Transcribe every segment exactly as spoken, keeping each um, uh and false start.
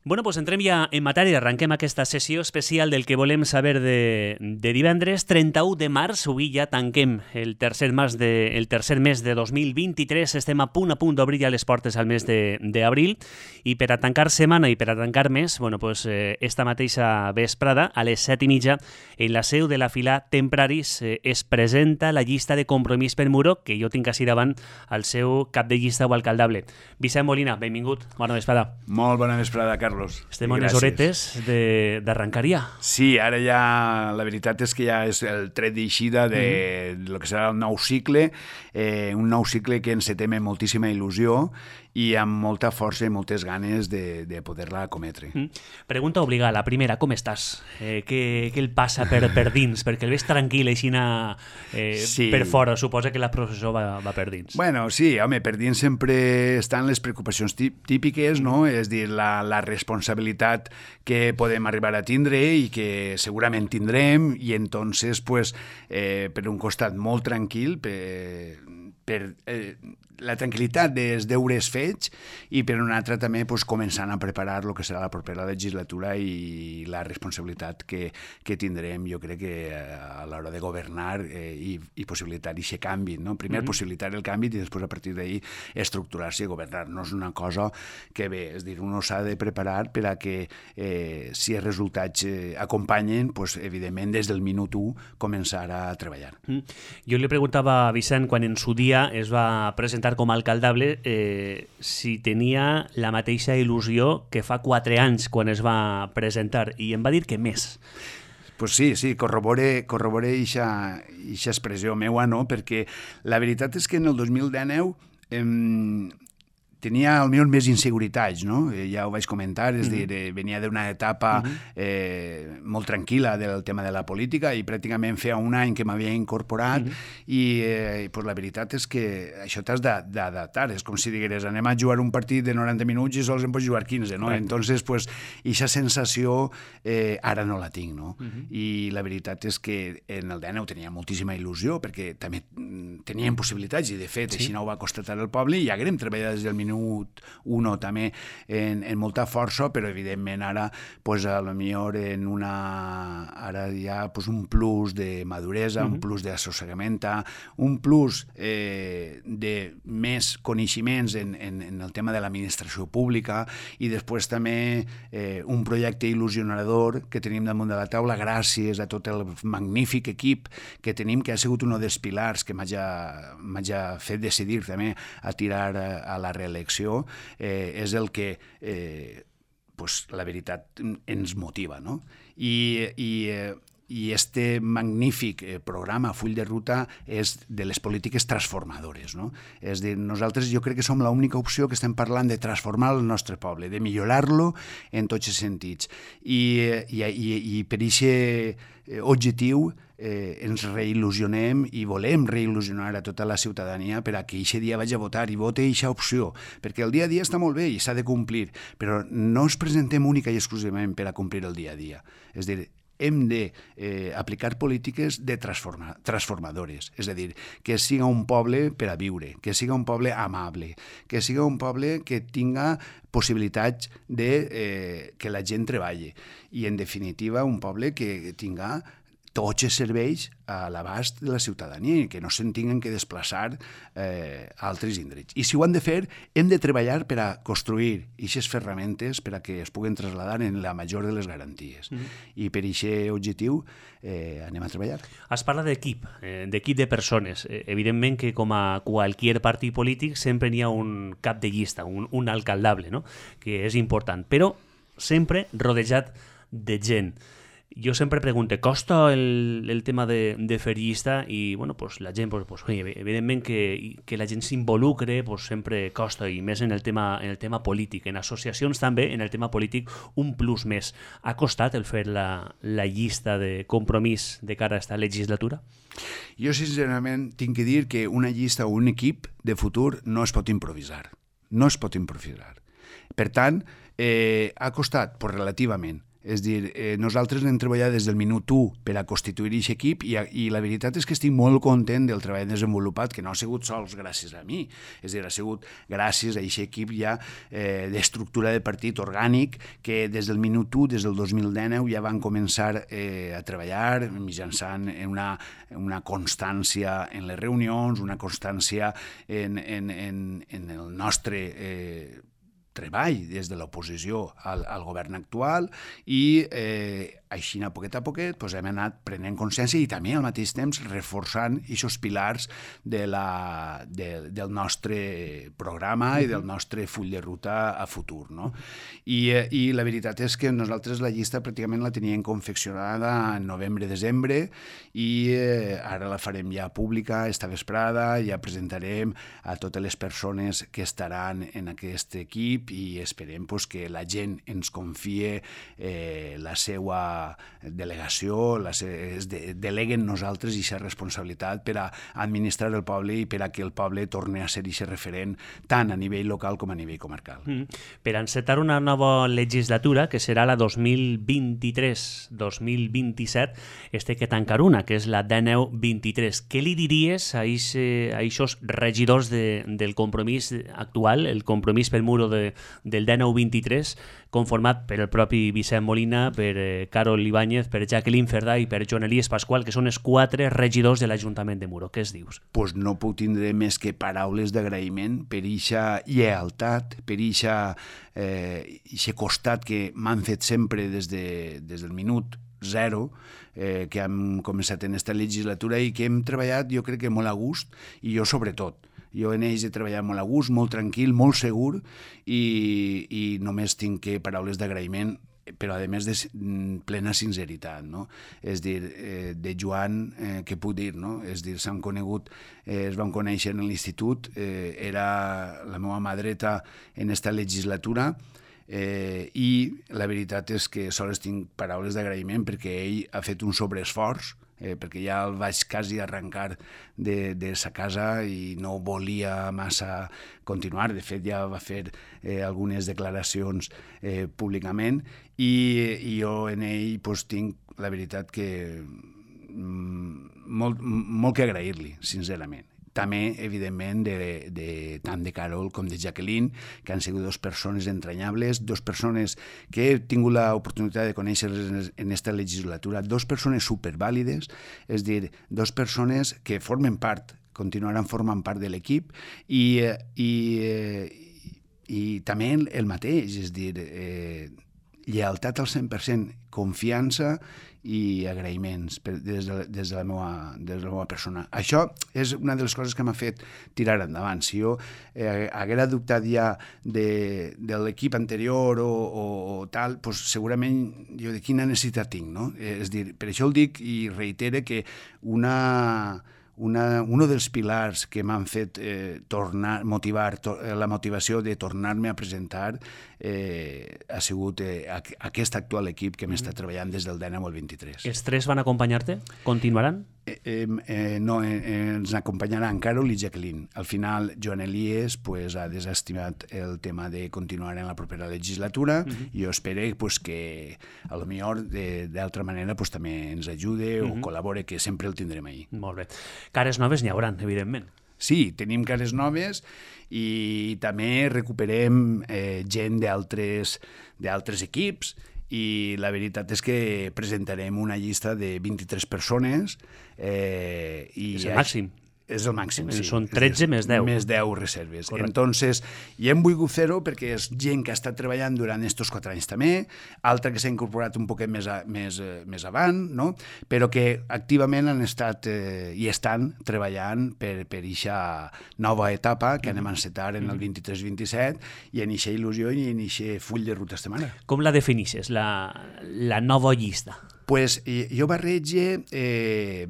Bueno, doncs entrem ja en matèria, arrenquem aquesta sessió especial del que volem saber de, de divendres, trenta-u de març, avui ja tanquem el tercer, mes de, el tercer mes de dos mil vint-i-tres, estem a punt a punt d'obrir ja les portes al mes d'abril, i per a tancar setmana i per a tancar mes, bueno, pues, eh, esta mateixa vesprada, a les set i mitja, en la seu de la Fila Tempraris eh, es presenta la llista de Compromís per Muro, que jo tinc així davant el seu cap de llista o alcaldable. Vicent Molina, benvingut, bona vesprada. Molt bona vesprada, Carlos. Estem en les horetes d'arrencar ja. Sí, ara ja la veritat és que ja és el tret d'eixida de mm-hmm. lo que serà el nou cicle, eh, un nou cicle que encetem amb moltíssima il·lusió i amb molta força i moltes ganes de, de poder-la cometre. Mm. Pregunta obligada, la primera, com estàs? Eh, què, què el passa per, per dins? Perquè el veig tranquil, així eh, sí. Per fora, suposa que la processó va, va per dins. Bueno, sí, home, per dins sempre estan les preocupacions típiques, no? És dir, la, la responsabilitat que podem arribar a tindre i que segurament tindrem, i entonces, pues, eh, per un costat molt tranquil, per, per eh, la tranquil·litat dels deures fets, i per un altre també pues, començant a preparar el que serà la propera legislatura i la responsabilitat que, que tindrem, jo crec que a l'hora de governar eh, i, i possibilitar aquest canvi, no? Primer mm-hmm. possibilitar el canvi i després a partir d'ahir estructurar-se i governar. No és una cosa que bé, és dir, uno s'ha de preparar per a que eh, si els resultats eh, acompanyen, pues, evidentment des del minut u començar a treballar. Mm. Jo li preguntava a Vicent quan en su dia es va presentar com a alcaldable eh, si tenia la mateixa il·lusió que fa quatre anys quan es va presentar, i em va dir que més. Pues sí, sí, corrobore corrobore eixa expressió meua, no? Perquè la veritat és que en el dos mil dinou eh, tenia almenys més inseguretats, no? Eh, ja ho vaig comentar, és mm-hmm. dir, eh, venia d'una etapa mm-hmm. eh, molt tranquil·la del tema de la política i pràcticament feia un any que m'havia incorporat mm-hmm. i eh, pues la veritat és que això t'has d'adaptar, és com si digueres anem a jugar un partit de noranta minuts i sols en pots jugar quinze, no? Right. Entonces, pues, eixa sensació eh, ara no la tinc, no? Mm-hmm. I la veritat és que en el dinou tenia moltíssima il·lusió perquè també teníem possibilitats i de fet sí. Així no ho va constatar el poble i ja haguem treballat des del minut uno també en, en molta força, però evidentment ara pues, a lo millor en una ara hi ha pues, un plus de maduresa, mm-hmm. un plus d'assossegament, un plus eh, de més coneixements en, en, en el tema de l'administració pública i després també eh, un projecte il·lusionador que tenim damunt de la taula gràcies a tot el magnífic equip que tenim, que ha sigut un dels pilars que m'ha fet decidir també a tirar a la reelecció. Eh, és el que eh, pues, la veritat ens motiva, no? I, i, eh, i este magnífic eh, programa Full de Ruta és de les polítiques transformadores, no? És dir, nosaltres jo crec que som l'única opció que estem parlant de transformar el nostre poble, de millorar-lo en tots els sentits. I, i, i, i per aquest objectiu eh, ens reil·lusionem i volem reil·lusionar a tota la ciutadania per a que aquest dia vagi a votar i vote aquesta opció, perquè el dia a dia està molt bé i s'ha de complir, però no ens presentem única i exclusivament per a complir el dia a dia. És a dir, hem d'aplicar eh, polítiques de transforma, transformadores, és a dir, que siga un poble per a viure, que siga un poble amable, que siga un poble que tinga possibilitats de eh, que la gent treballi i, en definitiva, un poble que tinga tots els serveis a l'abast de la ciutadania i que no se'n tinguen que desplaçar eh, a altres indrets. I si ho han de fer, hem de treballar per a construir aquestes ferramentes per a que es puguen traslladar en la major de les garanties. Mm-hmm. I per aquest objectiu eh, anem a treballar. Es parla d'equip, eh, d'equip de persones. Eh, evidentment que com a qualsevol partit polític sempre n'hi ha un cap de llista, un, un alcaldable, no? Que és important, però sempre rodejat de gent. Jo sempre pregunto, ¿costa el, el tema de, de fer llista? I bueno, pues la gent, pues, pues, oye, evidentment que, que la gent s'involucre pues, sempre costa, i més en el, tema, en el tema polític. En associacions també, en el tema polític, un plus més. Ha costat el fer la, la llista de Compromís de cara a esta legislatura? Jo, sincerament, tinc que dir que una llista o un equip de futur no es pot improvisar. No es pot improvisar. Per tant, eh, ha costat pues, relativament. És dir, eh, nosaltres hem treballat des del minut u per a constituir aquest equip i, i la veritat és que estic molt content del treball desenvolupat, que no ha sigut sols gràcies a mi, és dir, ha sigut gràcies a aquest equip ja eh, d'estructura de partit orgànic que des del minut u, des del dos mil dinou, ja van començar eh, a treballar mitjançant una, una constància en les reunions, una constància en, en, en, en el nostre eh, treball des de l'oposició al, al govern actual i eh, així a poquet a poquet pues, hem anat prenent consciència i també al mateix temps reforçant aquests pilars de la, de, del nostre programa i del nostre full de ruta a futur. No? I, eh, I la veritat és que nosaltres la llista pràcticament la teníem confeccionada en novembre-desembre i eh, ara la farem ja pública esta vesprada, ja presentarem a totes les persones que estaran en aquest equip i esperem pues, que la gent ens confie eh, la seva delegació, la se, es de, deleguen nosaltres aquesta responsabilitat per a administrar el poble i per a que el poble torni a ser aquest referent tant a nivell local com a nivell comarcal. Mm. Per encetar una nova legislatura, que serà la dos mil vint-i-tres dos mil vint-i-set, este que tancar una, que és la dinou vint-i-tres. Què li diries a aquests regidors de, del compromís actual, el compromís pel muro de, del dinou vint-i-tres, conformat per el propi Vicent Molina, per eh, Carol Ibáñez, per Jacqueline Cerdà i per Joan Elies Pasqual, que són els quatre regidors de l'Ajuntament de Muro. Què es dius? Pues no puc tindre més que paraules d'agraïment per eixa lleialtat, per eixa eh, costat que m'han fet sempre des, de, des del minut zero, eh, que hem començat en aquesta legislatura i que hem treballat, jo crec que molt a gust, i jo sobretot. Jo en ells he treballat molt a gust, molt tranquil, molt segur i, i només tinc que paraules d'agraïment, però a més de plena sinceritat, no? És dir, eh, de Joan, eh, què puc dir, no? És dir, s'han conegut, eh, es van conèixer en l'institut, eh, era la meva mà dreta en esta legislatura, eh, i la veritat és que sols tinc paraules d'agraïment perquè ell ha fet un sobreesforç, eh, perquè ja el vaig quasi arrencar de, de sa casa i no volia massa continuar. De fet, ja va fer eh, algunes declaracions eh, públicament i, i jo en ell pues, tinc la veritat que mm, molt, molt que agrair-li, sincerament. També, evidentment, de, de, tant de Carol com de Jacqueline, que han sigut dues persones entranyables, dues persones que he tingut l'oportunitat de conèixer en aquesta legislatura, dues persones supervàlides, és dir, dues persones que formen part, continuaran formant part de l'equip i, i, i també el mateix, és dir, eh, lleialtat al cent per cent, confiança i agraïments per, des, de, des, de la meva, des de la meva persona. Això és una de les coses que m'ha fet tirar endavant. Si jo eh, haguera dubtat ja de, de l'equip anterior o, o, o tal, pues segurament jo de quina necessitat tinc, no? És dir, per això el dic i reitere que una... Una, un dels pilars que m'han fet eh, tornar, motivar, to, la motivació de tornar-me a presentar eh, ha sigut eh, aquest actual equip que m'està treballant des del dinou al vint-i-tres. Els tres van acompanyar-te? Continuaran? Eh, eh, eh, no, eh, ens acompanyaran Carol i Jacqueline. Al final, Joan Elies pues, ha desestimat el tema de continuar en la propera legislatura i uh-huh. jo espero pues, que a lo millor d'altra manera pues, també ens ajude uh-huh. o col·labore, que sempre el tindrem ahí. Molt bé. Cares noves n'hi hauran, evidentment. Sí, tenim cares noves i també recuperem eh, gent d'altres d'altres equips i la veritat és que presentarem una llista de vint-i-tres persones. Eh, i és el màxim. És el màxim, sí. Són tretze més deu. Més deu reserves. Correcte. Entonces, i hem volgut fer-ho perquè és gent que ha estat treballant durant estos quatre anys també, altra que s'ha incorporat un poquet més, a, més, més avant, no? Però que activament han estat eh, i estan treballant per per eixa nova etapa que anem a encetar en el vint-i-tres vint-i-set i en eixa il·lusió i en eixe full de ruta estem ara. Com la definixes, la, la nova llista? Pues jo barrege... Eh,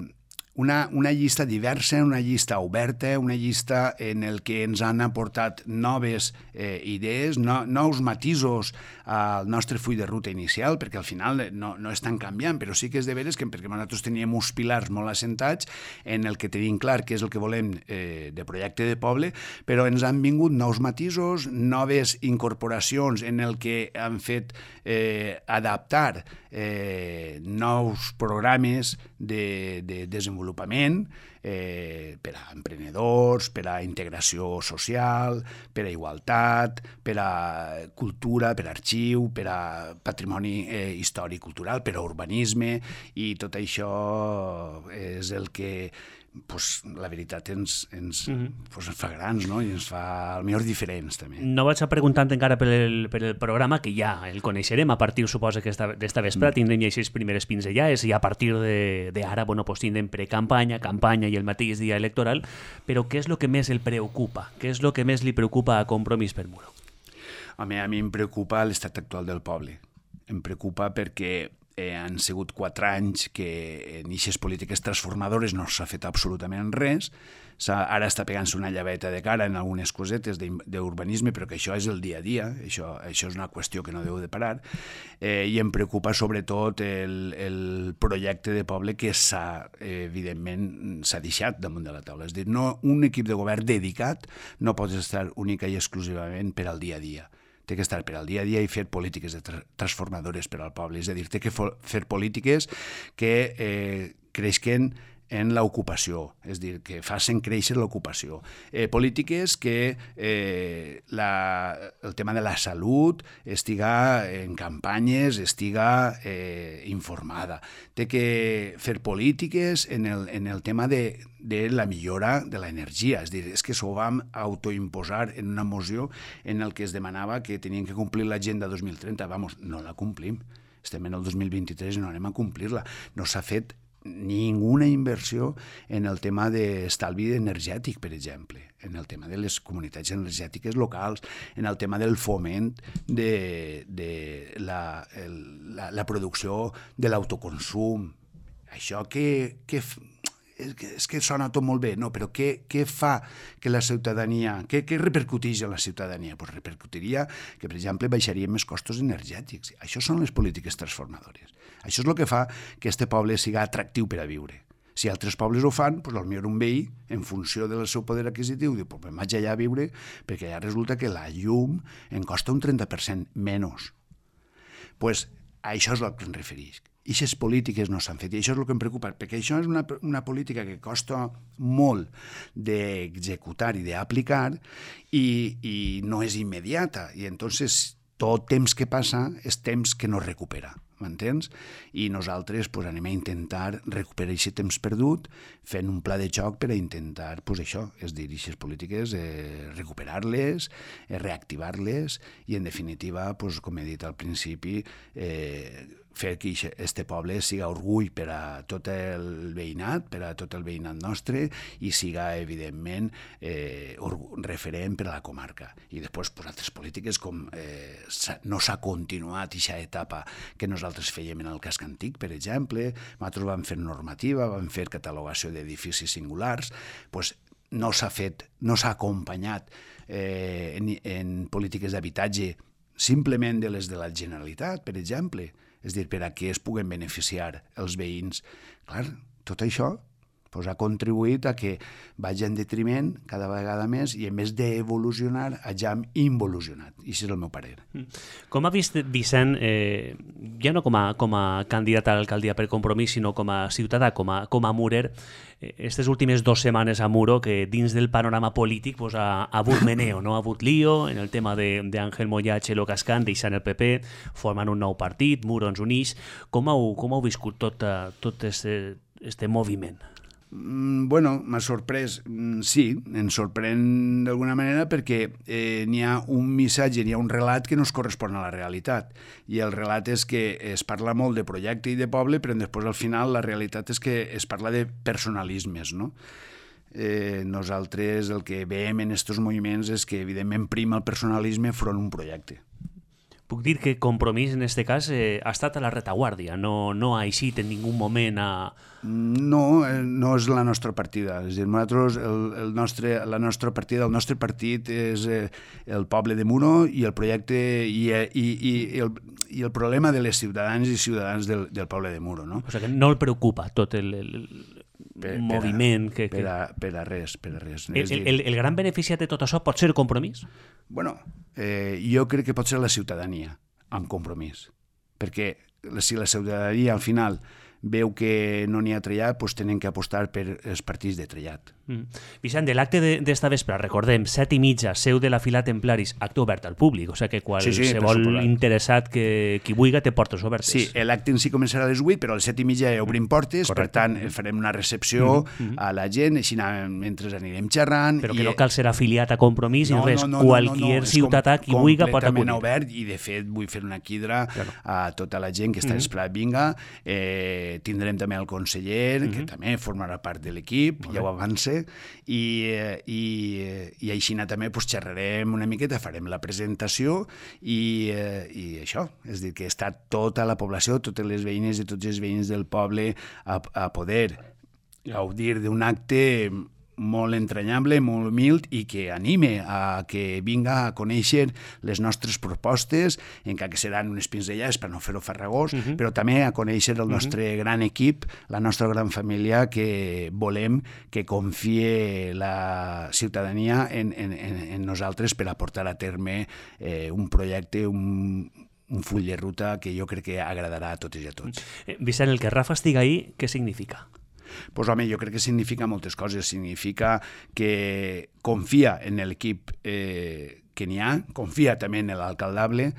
Una, una llista diversa, una llista oberta, una llista en el que ens han aportat noves eh, idees, no, nous matisos al nostre full de ruta inicial, perquè al final no, no estan canviant, però sí que és de veres que perquè nosaltres teníem uns pilars molt assentats en el que tenim clar què és el que volem eh, de projecte de poble, però ens han vingut nous matisos, noves incorporacions en el que han fet eh, adaptar eh, nous programes de, de desenvolupament eh, per a emprenedors, per a integració social, per a igualtat, per a cultura, per a arxiu, per a patrimoni eh, històric cultural, per a urbanisme, i tot això és el que pues, la veritat ens, ens, mm-hmm. pues, ens fa grans, no? I ens fa al millor diferents també. No vaig a preguntar encara per el, per el programa, que ja el coneixerem a partir, suposa, que d'esta vespre mm. tindrem ja aquestes primeres pinzellades i a partir d'ara bueno, pues, tindrem precampanya, campanya i el mateix dia electoral, però què és el que més el preocupa? Què és el que més li preocupa a Compromís per Muro? Home, a mi em preocupa l'estat actual del poble. Em preocupa perquè Eh, han sigut quatre anys que en aquestes polítiques transformadores no s'ha fet absolutament res. Ara està pegant-se una llaveta de cara en algunes cosetes d'urbanisme, però que això és el dia a dia, això, això és una qüestió que no deu de parar, eh, i em preocupa sobretot el, el projecte de poble que s'ha, eh, evidentment, s'ha deixat damunt de la taula. És a dir, no, un equip de govern dedicat no pot estar única i exclusivament per al dia a dia. Té que estar per al dia a dia i fer polítiques de tra transformadores per al poble. És a dir, té que fer polítiques que eh, creixen en l'ocupació, és a dir, que facin créixer l'ocupació. Eh, polítiques que eh, la, el tema de la salut estiga en campanyes, estiga eh, informada. Té que fer polítiques en el, en el tema de, de la millora de l'energia. És a dir, és que s'ho vam autoimposar en una moció en el que es demanava que tenien que complir l'agenda dos mil trenta. Vamos, no la complim. Estem en el dos mil vint-i-tres i no anem a complir-la. No s'ha fet ninguna inversió en el tema d'estalvi energètic, per exemple, en el tema de les comunitats energètiques locals, en el tema del foment de, de la, el, la, la producció de l'autoconsum. Això que, que és que, és que sona tot molt bé, no, però què, què fa que la ciutadania, què, què repercuteix en la ciutadania? Pues repercutiria que, per exemple, baixarien més costos energètics. Això són les polítiques transformadores. Això és el que fa que este poble siga atractiu per a viure. Si altres pobles ho fan, doncs potser un veí, en funció del seu poder adquisitiu, diu, pues me'n vaig allà a viure, perquè allà resulta que la llum em costa un trenta per cent menys. Pues a això és el que em refereix. I aquestes polítiques no s'han fet, i això és el que em preocupa, perquè això és una, una política que costa molt d'executar i d'aplicar i, i no és immediata, i entonces tot temps que passa és temps que no recupera, m'entens? I nosaltres pues, anem a intentar recuperar aquest temps perdut fent un pla de xoc per a intentar, pues, això, és dir, aquestes polítiques, eh, recuperar-les, eh, reactivar-les i, en definitiva, pues, com he dit al principi, eh, fer que este poble siga orgull per a tot el veïnat, per a tot el veïnat nostre i siga, evidentment, eh, referent per a la comarca. I després, pues, altres polítiques com eh, no s'ha continuat aquesta etapa que nosaltres fèiem en el casc antic, per exemple, nosaltres vam fer normativa, vam fer catalogació d'edificis singulars, pues, no s'ha fet, no s'ha acompanyat eh, en, en polítiques d'habitatge simplement de les de la Generalitat, per exemple, és a dir, per a què es puguen beneficiar els veïns. Clar, tot això pues, ha contribuït a que vagi en detriment cada vegada més i, en més d'evolucionar, hagin involucionat. I això és el meu parer. Com ha vist Vicent, eh, ja no com a, com a candidat a l'alcaldia per Compromís, sinó com a ciutadà, com a, com a murer, aquestes eh, últimes dues setmanes a Muro, que dins del panorama polític pues, ha, ha hagut meneo, no? Ha hagut lío en el tema d'Àngel Moya, Txelo Cascán, deixant el P P, formant un nou partit, Muro ens unix. Com heu, com heu viscut tot, tot este, este moviment? Bueno, m'ha sorprès, sí, ens sorprèn d'alguna manera perquè eh, n'hi ha un missatge, n'hi ha un relat que no es correspon a la realitat. I el relat és que es parla molt de projecte i de poble, però després al final la realitat és que es parla de personalismes, no? Eh, nosaltres el que veiem en aquests moviments és que evidentment prima el personalisme front a un projecte. puc dir que Compromís, en aquest cas, eh, ha estat a la retaguardia, no, no ha eixit en ningú moment a... No, no és la nostra partida. És a dir, nosaltres, el, el nostre, la nostra partida, el nostre partit és eh, el poble de Muro i el projecte i, i, i, el, i el problema de les ciutadans i ciutadans del, del poble de Muro. No? O sigui que no el preocupa tot el, el, per, moviment per a, que... Per, a, per a res, per a res. El, el, el, el gran beneficiat de tot això pot ser Compromís? Bueno, eh, jo crec que pot ser la ciutadania amb Compromís. Perquè si la ciutadania al final veu que no n'hi ha trellat, doncs tenen que apostar per els partits de trellat. Mm. Vicent, de l'acte d'esta vespre, recordem, set i mitja, seu de la Fila Templaris, acte obert al públic, o sigui que qualsevol sí, sí, interessat que qui vulgui té portes obertes. Sí, l'acte en si començarà a les vuit, però a les set i mitja obrim portes, correcte. Per tant farem una recepció mm-hmm. a la gent, així mentre anirem xerrant. Però que i... no cal ser afiliat a Compromís no, i res, no, no, qualquier no, no, no. ciutadà qui vulgui pot acudir. Completament obert i de fet vull fer una quidra claro. a tota la gent que està mm-hmm. esperat vinga. Eh, tindrem també el conseller, mm-hmm. que també formarà part de l'equip, ja ho avance, i, i, i així també pues, xerrarem una miqueta, farem la presentació i, i això, és a dir, que està tota la població, totes les veïnes i tots els veïns del poble a, a poder gaudir d'un acte molt entranyable, molt humil i que anime a que vinga a conèixer les nostres propostes, encara que seran unes pinzellades per no fer-ho farragós, uh-huh. però també a conèixer el nostre uh-huh. gran equip, la nostra gran família, que volem que confie la ciutadania en, en, en nosaltres per a portar a terme eh, un projecte, un, un full de ruta que jo crec que agradarà a totes i a tots. Eh, Vicent, el que Rafa estiga ahí, què significa? Pues, home, jo crec que significa moltes coses. Significa que confia en l'equip eh, que n'hi ha, confia també en l'alcaldable,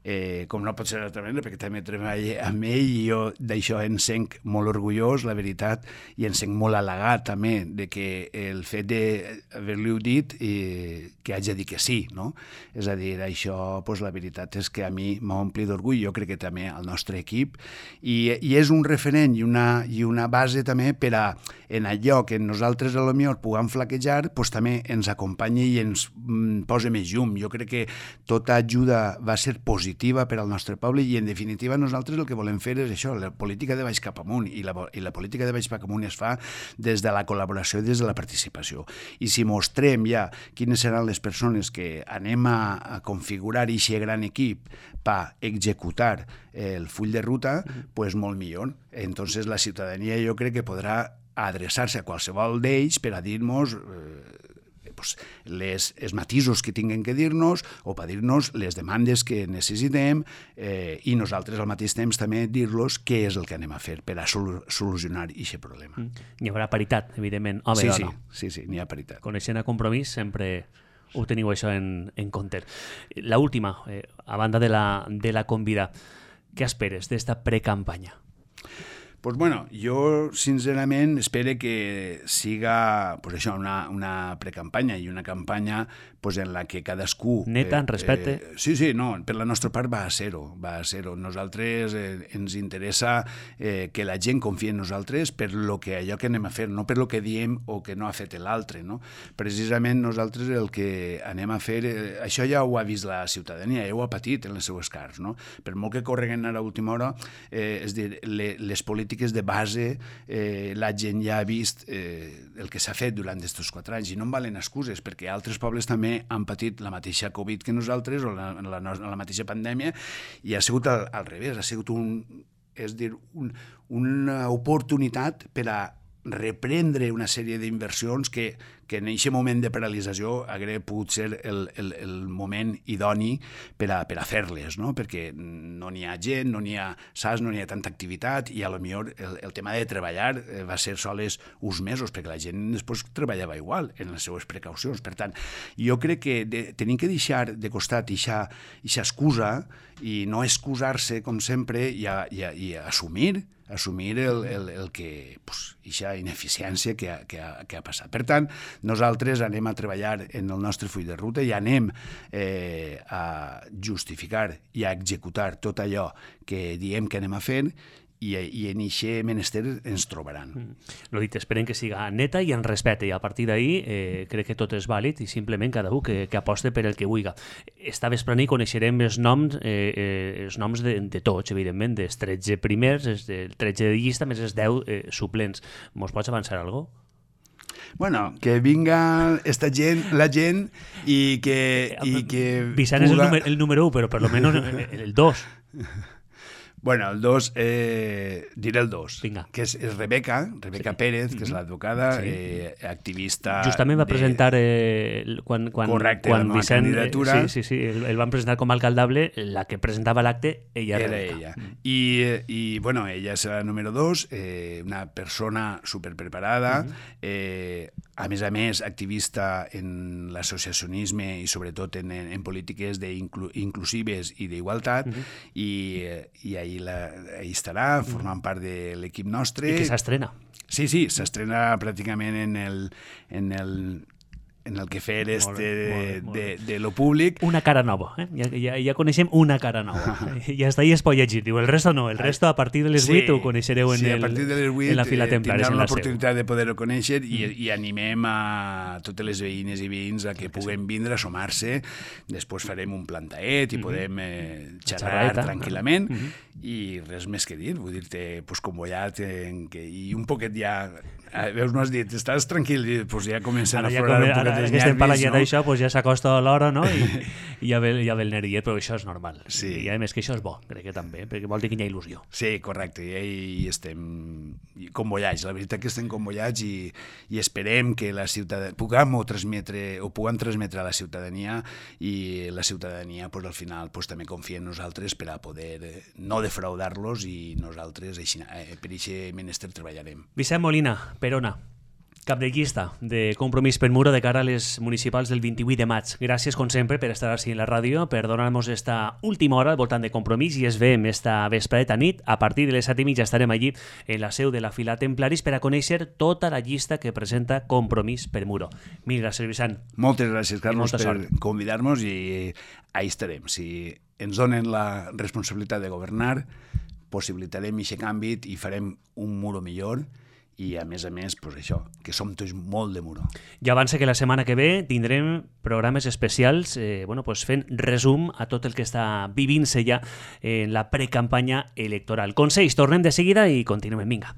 eh, com no pot ser d'altra manera, perquè també treballa amb ell i jo d'això en senc molt orgullós, la veritat, i en senc molt halagat també de que el fet d'haver-li-ho dit eh, que haig de dir que sí, no? És a dir, això, pues, la veritat és que a mi m'ompli d'orgull, jo crec que també al nostre equip, i, i és un referent i una, i una base també per a, en allò que nosaltres a lo millor puguem flaquejar, pues, també ens acompanya i ens mm, posa més llum. Jo crec que tota ajuda va ser positiva per al nostre poble i, en definitiva, nosaltres el que volem fer és això, la política de baix cap amunt, i la, i la política de baix cap amunt es fa des de la col·laboració i des de la participació. I si mostrem ja quines seran les persones que anem a, a configurar aquest gran equip per executar el full de ruta, pues molt millor. Entonces la ciutadania jo crec que podrà adreçar-se a qualsevol d'ells per a dir-nos eh, pues, les, els matisos que tinguin que dir-nos o per dir-nos les demandes que necessitem eh, i nosaltres al mateix temps també dir-los què és el que anem a fer per a sol solucionar aquest problema. Mm. Hi haurà paritat, evidentment. Home, sí, dona. sí, sí, sí, n'hi ha paritat. Coneixent a Compromís sempre ho teniu això en, en compte. La última, eh, a banda de la, de la convida, què esperes d'esta precampanya? Pues bueno, jo sincerament espero que siga pues això, una, una precampanya i una campanya pues, en la que cadascú... Neta, en respecte. Eh, sí, sí, no, per la nostra part va a ser-ho, va a ser-ho. Nosaltres eh, ens interessa eh, que la gent confia en nosaltres per lo que allò que anem a fer, no per lo que diem o que no ha fet l'altre, no? Precisament nosaltres el que anem a fer, eh, això ja ho ha vist la ciutadania, ja ho ha patit en les seues cars, no? Per molt que correguen ara a última hora, eh, és dir, le, les polítiques de base, eh, la gent ja ha vist eh, el que s'ha fet durant aquests quatre anys i no en valen excuses, perquè altres pobles també han patit la mateixa Covid que nosaltres o la, la, la mateixa pandèmia i ha sigut al, al revés, ha sigut un, és dir, un, una oportunitat per a reprendre una sèrie d'inversions que, que en aquest moment de paralització hauria pogut ser el, el, el moment idoni per a, per a fer-les, no? Perquè no n'hi ha gent, no n'hi ha saps, no n'hi ha tanta activitat i a lo millor el, el tema de treballar va ser sols uns mesos, perquè la gent després treballava igual en les seues precaucions. Per tant, jo crec que de, tenim que deixar de costat aquesta excusa i no excusar-se, com sempre, i, a, i, a, i a assumir assumir el, el, el que, pues, aquesta ineficiència que ha, que, ha, que ha passat. Per tant, nosaltres anem a treballar en el nostre full de ruta i anem eh, a justificar i a executar tot allò que diem que anem a fer i, i en eixe menester ens trobaran. Mm. Lo dit, esperem que siga neta i en respecte, i a partir d'ahí eh, crec que tot és vàlid i simplement cada un que, que aposte per el que vulgui. Esta vesprada coneixerem els noms, eh, eh, els noms de, de tots, evidentment, dels tretze primers, els del tretze de llista, més els deu eh, suplents. Mos pots avançar alguna cosa? Bueno, que vinga esta gent, la gent, i que... I que Vicent puga... és el, número, el número u, però per lo menos el dos. Bueno, el dos, eh, diré el dos, Vinga. Que és, és Rebeca, Rebeca sí. Pérez, que és l'advocada, sí. eh, activista... Justament va de... presentar, eh, quan, quan, Correcte, quan la Vicent, candidatura. Eh, sí, sí, sí, el, el van presentar com a alcaldable, la que presentava l'acte, ella era Rebeca. ella. Mm. I, I, bueno, ella és la número dos, eh, una persona superpreparada, mm -hmm. eh, a més a més, activista en l'associacionisme i sobretot en, en, en polítiques inclu, inclusives i d'igualtat, mm -hmm. i, i ahir, la, ahir estarà formant part de l'equip nostre. I que s'estrena. Sí, sí, s'estrena pràcticament en el, en el, en el que fer este molt bé, molt bé, molt de, de, de lo públic. Una cara nova, eh? ja, ja, ja coneixem una cara nova. Ja està, i es pot llegir. Diu, el resto no, el resto a partir de les vuit sí, ho coneixereu en, sí, el, a partir de les vuit, en la fila eh, templaris. Tindran l'oportunitat de poder-ho conèixer i, mm. i animem a totes les veïnes i veïns a que sí, puguen sí. vindre a sumar-se. Després farem un plantaet i mm -hmm. podem eh, xerrar Xerreta. tranquil·lament. Mm -hmm. I res més que dir, vull dir-te, pues, convollat, en que, i un poquet ja... Veus, no has dit, estàs tranquil, doncs ja comencen ara a aflorar ja un poquet els nervis, no? D'això, pues ja s'acosta l'hora, no? I, i ja, ve, ja ve el nerviet, però això és normal. Sí. I a més que això és bo, crec que també, perquè vol dir que hi ha il·lusió. Sí, correcte, i, i estem convollats, la veritat que estem convollats i, i esperem que la ciutadania puguem transmetre, o puguem transmetre a la ciutadania i la ciutadania, pues, al final, pues, també confia en nosaltres per a poder eh, no defraudar-los i nosaltres així, eh, per aquest menester treballarem. Vicent Molina, Perona, cap de llista de Compromís per Muro de cara a les municipals del vint-i-vuit de maig. Gràcies, com sempre, per estar així en la ràdio, per donar-nos esta última hora al voltant de Compromís i es veiem esta vespreta nit. A partir de les set i mitja estarem allí en la seu de la fila Templaris per a conèixer tota la llista que presenta Compromís per Muro. Mil gràcies, Vicent. Moltes gràcies, Carlos, per convidar-nos i ahí estarem. Si ens donen la responsabilitat de governar, possibilitarem aquest canvi i farem un muro millor. I, a més a més, pues això, que som tots molt de muro. Ja avança que la setmana que ve tindrem programes especials eh, bueno, pues fent resum a tot el que està vivint-se ja en la precampanya electoral. Consells, tornem de seguida i continuem. Vinga.